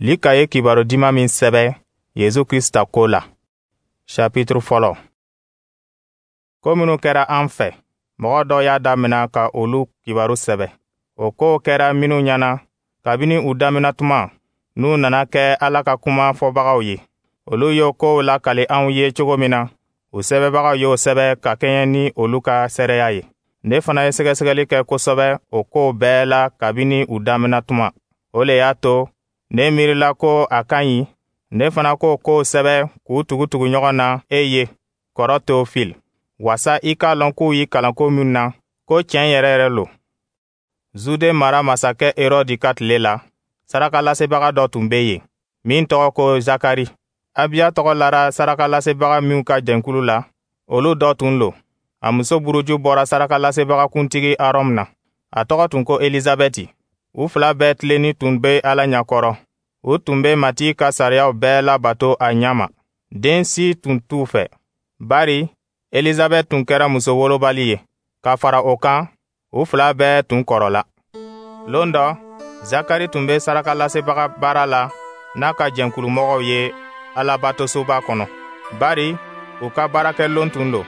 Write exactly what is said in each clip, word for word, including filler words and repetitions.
Lika ye kibaru diman min sɛbɛ Yezu Krista ko la. Chapitre fɔlɔ. Ko minnu kɛra an fɛ, mɔgɔ dɔ y'a damina ka olu kibaru sɛbɛ. O kow kɛra minnu ɲɛna kabini u damina tuma, n'u nana kɛ Ala ka kuma fɔbagaw ye. Olu y'o kow lakali anw ye cogo min na, u sɛbɛbagaw y'o sɛbɛ ka kɛɲɛ ni olu ka seereya ye. Ne fana ye sɛgɛsɛgɛli kɛ kosɛbɛ o kow bɛɛ la kabini u damina tuma. O le y'a to ne miirila ko a ka ɲi ne fana k'o kow sɛbɛ k'u tugu-tugu ɲɔgɔn na e ye, kɔrɔ Teofile, wasa i k'a lɔn k'u y'i kalan ko min na, ko tiɲɛ yɛrɛ yɛrɛ lo. Zude mara masakɛ Herɔdi ka tile la, sarakalasebaga dɔ tun bɛ yen min tɔgɔ ko Zakari. Abiya tɔgɔ lara sarakalasebaga minw ka jɛnkulu la, olu dɔ tun lo. A muso buruju bɔra sarakalasebaga kuntigi Arɔn na. A tɔgɔ tun ko Elizabɛti. U fila bɛɛ tilenni tun bɛ Ala ɲɛkɔrɔ. U tun bɛ Matigi ka sariyaw bɛɛ labato a ɲɛ ma. Den si tun t'u fɛ, bari Elizabɛti tun kɛra muso wolobali ye. Ka fara o kan, u fila bɛɛ tun kɔrɔla. Lon dɔ, Zakari tun bɛ sarakalasebaga baara la n'a ka jɛnkulumɔgɔw ye Alabatosoba kɔnɔ, bari u ka baarakɛlon tun lo,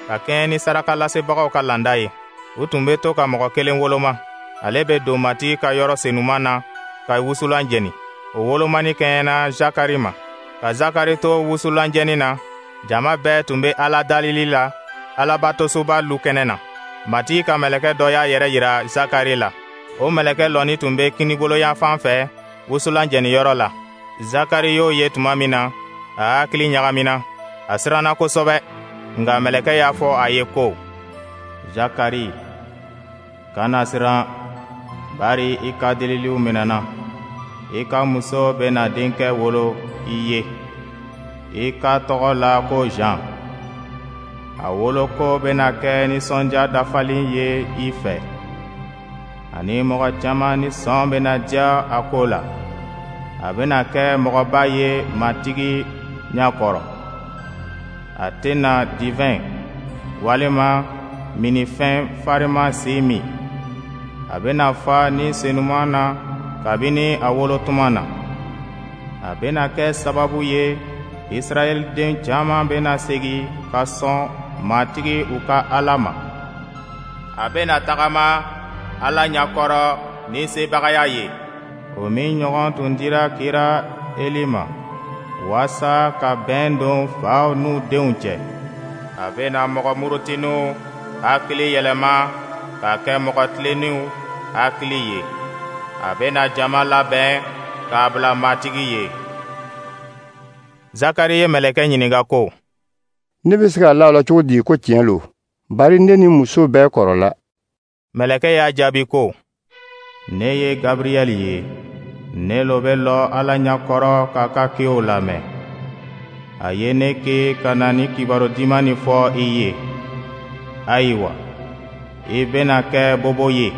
ka kɛɲɛ ni sarakalasebagaw ka landa ye. U tun bɛ to ka mɔgɔ kelen woloma. Ale bɛ don Matigi ka yɔrɔ senuman na ka wusulan jeni. O wolomani kɛɲɛna Zakari ma. Ka Zakari to wusulan jeni na, jama bɛɛ tun bɛ Ala dalili la Alabatosoba lukɛnɛ na. Matigi ka mɛlɛkɛ dɔ y'a yɛrɛ yira Zakari la. O mɛlɛkɛ lɔnin tun bɛ kiniboloyanfan fɛ wusulan jeniyɔrɔ la. Zakari y'o ye tuma min na, a hakili ɲagamina, a siranna kosɛbɛ. Nka mɛlɛkɛ y'a fɔ a ye ko: Zakari, kana siran, bari i ka deliliw minɛna. I ka muso bɛna denkɛ wolo i ye. I ka tɔgɔ la ko Jean. A woloko bɛna kɛ nisɔndiya dafalen ye i fɛ, ani mɔgɔ caman nisɔn bɛna diya a ko la. A bɛna kɛ mɔgɔba ye Matigi ɲɛkɔrɔ. A tɛna divɛn walima minnifɛn farinman si min. A bɛna fa Ni Senuman na kabini a wolotuma na. A bɛna kɛ sababu ye Israɛl den caman bɛna segin ka sɔn Matigi u ka Ala ma. A bɛna tagama Ala ɲɛkɔrɔ ni sebagaya ye, o min ɲɔgɔn tun dira kira Eli ma, waasa ka bɛn don faw n'u denw cɛ. A bɛna mɔgɔ murutininw hakili yɛlɛma ka kɛ mɔgɔ tilenninw hakili ye. A bɛna jama labɛn k'a bila Matigi ye. Zakari ye mɛlɛkɛ ɲininka ko: Ne bɛ se ka la o la cogo di ko tiɲɛ lo, bari ne ni muso bɛɛ kɔrɔla? Mɛlɛkɛ y'a jaabi ko: Ne ye Gabriyɛli ye. Ne lo bɛ lɔ Ala ɲɛkɔrɔ k'a ka kiw lamɛn. A ye ne ki ka na ni kibaru diman nin fɔ i ye. Ayiwa, i bɛna kɛ bobo ye,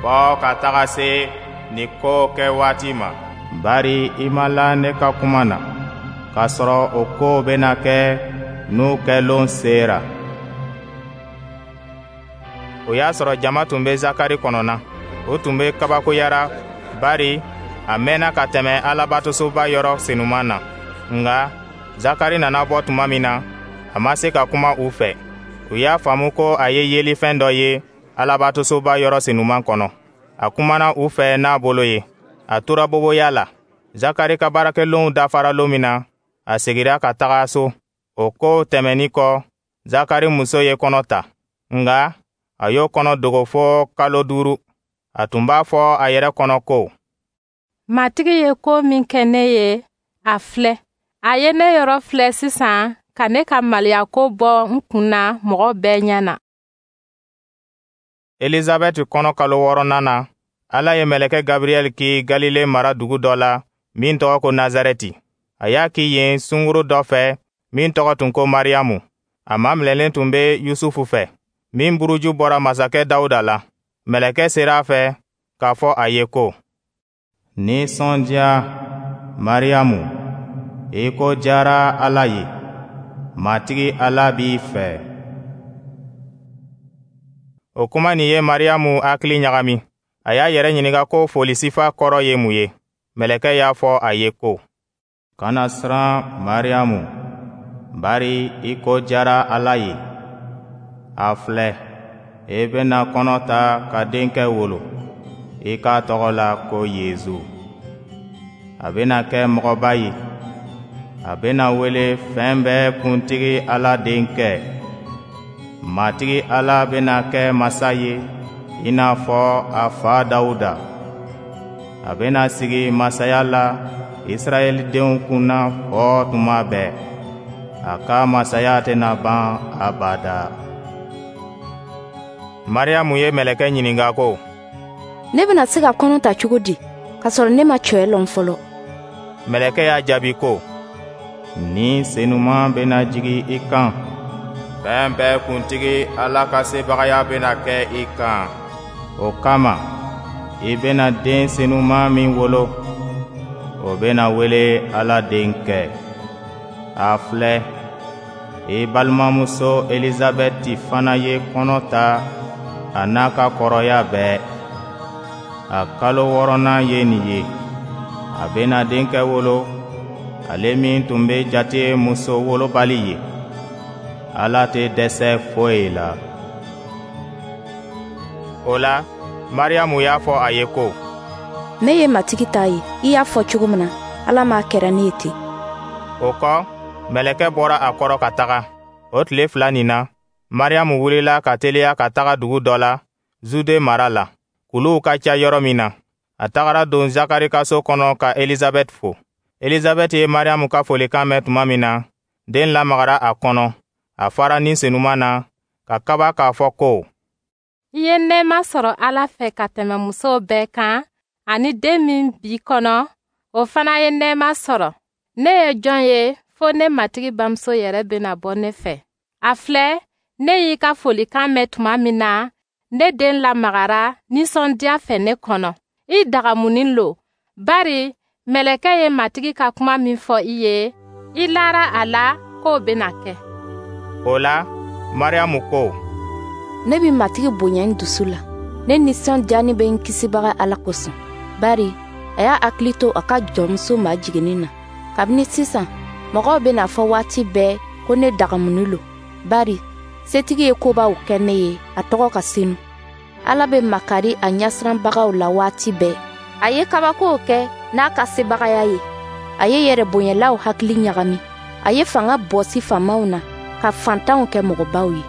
fɔ ka taga se nin ko kɛ waati ma, bari i ma la ne ka kuma na, k'a sɔrɔ o kow bɛna kɛ n'u kɛlon sera. O y'a sɔrɔ jama tun bɛ Zakari kɔnɔna. O tun bɛ kabakoyara, bari a mɛnna ka tɛmɛ Alabatosoba yɔrɔ senuman na. Nka Zakari nana bɔ tuma min na, a ma se ka kuma u fɛ. U y'a faamu ko a ye yelifɛn dɔ ye Alabatosoba yɔrɔ senuman kɔnɔ. A kumana u fɛ n'a bolo ye. A tora boboya la. Zakari ka baarakɛlonw dafara lon min na, a segira ka taga so. O ko tɛmɛnin kɔ, Zakari muso ye kɔnɔ ta. Nka a y'o kɔnɔ dogo fo kalo duuru. A tun b'a fɔ a yɛrɛ kɔnɔ ko: Matigi ye ko min kɛ ne ye, a filɛ. A ye ne yɔrɔ filɛ sisan ka ne ka maliyako bɔ n kun na mɔgɔ bɛɛ ɲɛ na. Elizabɛti kɔnɔ kalo wɔɔrɔnan na, Ala ye mɛlɛkɛ Gabriyɛli ki Galile mara dugu dɔ la min tɔgɔ ko Nazarɛti. A y'a ki yen sunguru dɔ fɛ min tɔgɔ tun ko Mariyamu. A maminɛlen tun bɛ Yusufu fɛ, min buruju bɔra masakɛ Dawuda la. Mɛlɛkɛ sera a fɛ k'a fɔ a ye ko: Nisɔndiya, Mariyamu, i ko diyara Ala ye. Matigi Ala b'i fɛ. O kuma nin ye Mariyamu hakili ɲagami. A y'a yɛrɛ ɲininka ko foli sifa kɔrɔ ye mun ye. Mɛlɛkɛ y'a fɔ a ye ko: Kana siran, Mariyamu, bari i ko diyara Ala ye. A filɛ, i bɛna kɔnɔ ta ka denkɛ wolo, i k'a tɔgɔ la ko Yezu. A bɛna kɛ mɔgɔba ye. A bɛna wele Fɛn bɛɛ Kuntigi Ala Denkɛ. Matigi Ala bɛna kɛ masa ye i n'a fɔ a fa Dawuda. A bɛna sigi masaya la Israɛl denw kunna fɔ tuma bɛɛ. A ka masaya tɛna ban abada. Mariyamu ye mɛlɛkɛ ɲininka ko: Ne bɛna se ka kɔnɔ ta cogo di, k'a sɔrɔ ne ma cɛ lɔn fɔlɔ? Mɛlɛkɛ y'a jaabi ko: Ni Senuma bɛna jigi i kan. Fɛn bɛɛ Kuntigi Ala ka sebagaya bɛna kɛ i kan. O kama, i bɛna den senuma min wolo, o bɛna wele Ala Denkɛ. A filɛ, i balimamuso Elizabɛti fana ye kɔnɔ ta a n'a ka kɔrɔya bɛɛ. A kalo wɔɔrɔnan ye nin ye. A bɛna denkɛ wolo, ale min tun bɛ jate muso wolobali ye. Ala tɛ dɛsɛ foyi la. O la, Mariyamu y'a fɔ a ye ko: Ne ye Matigi ta ye, i y'a fɔ cogo min na, Ala m'a kɛra ne ye ten. O kɔ, mɛlɛkɛ bɔra a kɔrɔ ka taga. O tile fila nin na, Mariyamu wulila ka teliya ka taga dugu dɔ la, Zude mara la, kuluw ka ca yɔrɔ min na. A tagara don Zakari ka so kɔnɔ ka Elizabɛti fo. Elizabɛti ye Mariyamu ka folikan mɛn tuma min na, den lamagara a kɔnɔ. A fara Ni Senuma na, ka kaba k'a fɔ ko: I ye nɛɛma sɔrɔ Ala fɛ ka tɛmɛ musow bɛɛ kan, ani den min b'i kɔnɔ, o fana ye nɛɛma sɔrɔ. Ne ye jɔn ye fo ne Matigi bamuso yɛrɛ bɛna bɔ ne fɛ? A filɛ, ne y'i ka folikan mɛn tuma min na, ne den lamagara nisɔndiya fɛ ne kɔnɔ. I dagamunin lo, bari mɛlɛkɛ ye Matigi ka kuma min fɔ i ye, i lara a la k'o bɛna kɛ. O la, Mariyamu ko: Ne bɛ Matigi bonya n dusu la. Ne nisɔndiyani bɛ n Kisibaga Ala kosɔn, bari a y'a hakili to a ka jɔnmuso majiginnin na. Kabini sisan, mɔgɔw bɛna fɔ waati bɛɛ ko ne dagamunin lo, bari Setigi ye kobaw kɛ ne ye, a tɔgɔ ka senu. Ala bɛ makari a ɲɛsiranbagaw la waati bɛɛ. A ye kabakow kɛ n'a ka sebagaya ye. A ye yɛrɛbonyalaw hakili ɲagami. A ye fanga bɔsi faamaw na, ka fantanw kɛ mɔgɔbaw ye.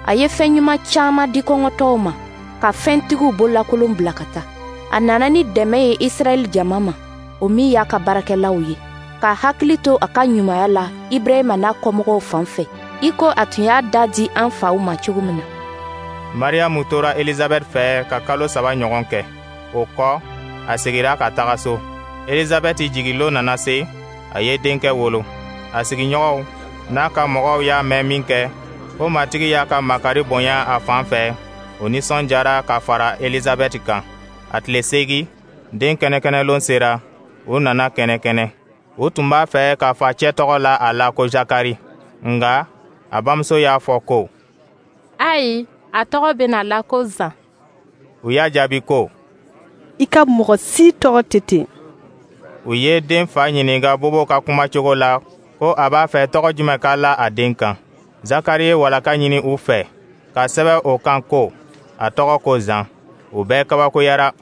A ye fɛn ɲuman caman di kɔngɔtɔw ma, ka fɛntigiw bololakolon bila ka taa. A nana ni dɛmɛ ye Israɛl jama ma, o min y'a ka baarakɛlaw ye, ka hakili to a ka ɲumanya la Ibrahima n'a kɔmɔgɔw fan fɛ, i ko a tun y'a da di an faw ma cogo min na. Mariyamu tora Elizabɛti fɛ ka kalo saba ɲɔgɔn kɛ. O kɔ, a segira ka taga so. Elizabɛti jigilon nana se, a ye denkɛ wolo. A sigiɲɔgɔnw n'a ka mɔgɔw y'a mɛn min kɛ, ko Matigi y'a ka makari bonya a fan fɛ, o nisɔndiyara ka fara Elizabɛti kan. A tile seegin, den kɛnɛkɛnɛlon sera, u nana kɛnɛkɛnɛ. U tun b'a fɛ ka facɛ tɔgɔ la a la ko Zakari. Nka a bamuso y'a fɔ ko: Ayi, a tɔgɔ bɛna la ko Zan. U y'a jaabi ko: I ka mɔgɔ si tɔgɔ tɛ ten. U ye den fa ɲininka bobow ka kumacogo la ko a b'a fɛ tɔgɔ jumɛn ka la a den kan. Zakari ye walaka ɲini u fɛ ka sɛbɛn o kan ko a tɔgɔ ko Zan. U bɛɛ kabakoyara.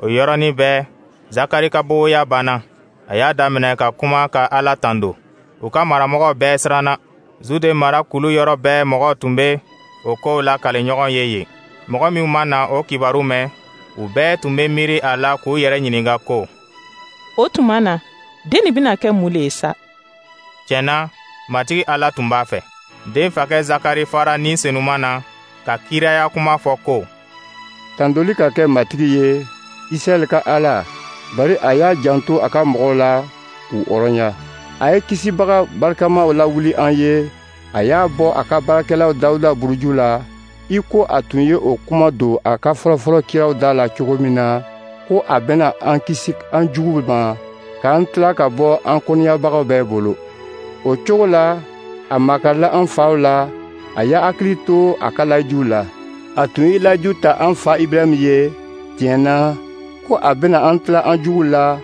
O yɔrɔnin bɛɛ, Zakari ka boboya banna. A y'a daminɛ ka kuma ka Ala tando. U ka maramɔgɔw bɛɛ siranna. Zude mara kulu yɔrɔ bɛɛ mɔgɔw tun bɛ o kow lakali ɲɔgɔn ye yen. Mɔgɔ minw ma na o kibaru mɛn, u bɛɛ tun bɛ miiri a la k'u yɛrɛ ɲininka ko: O tuma na, den nin bɛna kɛ mun le ye sa? Tiɲɛ na, Matigi Ala tun b'a fɛ. Den fakɛ Zakari fara Ni Senuma na ka kiraya kuma fɔ ko: Tandoli ka kɛ Matigi ye, Israɛl ka Ala, bari a y'a janto a ka mɔgɔw la k'u hɔrɔnya. A ye Kisibaga barikamaw lawuli an ye, a y'a bɔ a ka baarakɛlaw Dawuda buruju la, i ko a tun ye o kuma don a ka fɔlɔfɔlɔ kiraw da la cogo min na, ko a bɛna an kisi an juguw ma, k'an tila ka bɔ an kɔniyabagaw bɛɛ bolo. O cogo la, a makarila an faw la, a y'a hakili to a ka layiduw la. A tun ye layidu ta an fa Ibrahima ye, tiɲɛ na, ko a bɛna an tila an juguw la,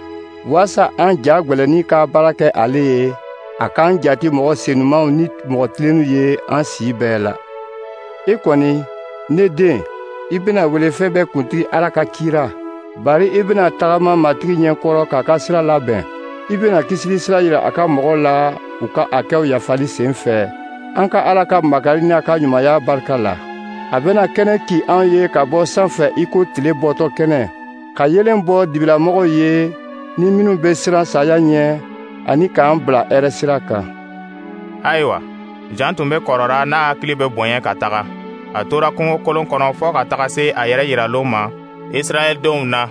Waasa an ja gwɛlɛnnin ka baara kɛ ale ye, a k'an jati mɔgɔ senumaw ni mɔgɔ tilenninw ye an si bɛɛ la. I kɔni, ne den, i bɛna wele fɛn bɛɛ kuntigi Ala ka kira, bari i bɛna tagama Matigi ɲɛkɔrɔ k'a ka sira labɛn. I bɛna kisili sira yira a ka mɔgɔw la u ka hakɛw yafali sen fɛ, an ka Ala ka makari n'a ka ɲumanya barika la. A bɛna kɛnɛ ci an ye ka bɔ sanfɛ i ko tile bɔtɔ kɛnɛ, ka yeelen bɔ dibilamɔgɔw ye ni minnu bɛ siran saya ɲɛ, ani k'an bila hɛrɛ sira kan. Ayiwa, Jan tun bɛ kɔrɔra n'a hakili bɛ bonya ka taga. A tora kungokolon kɔnɔ fɔɔ ka taga se a yɛrɛ yiralon ma Israɛldenw na.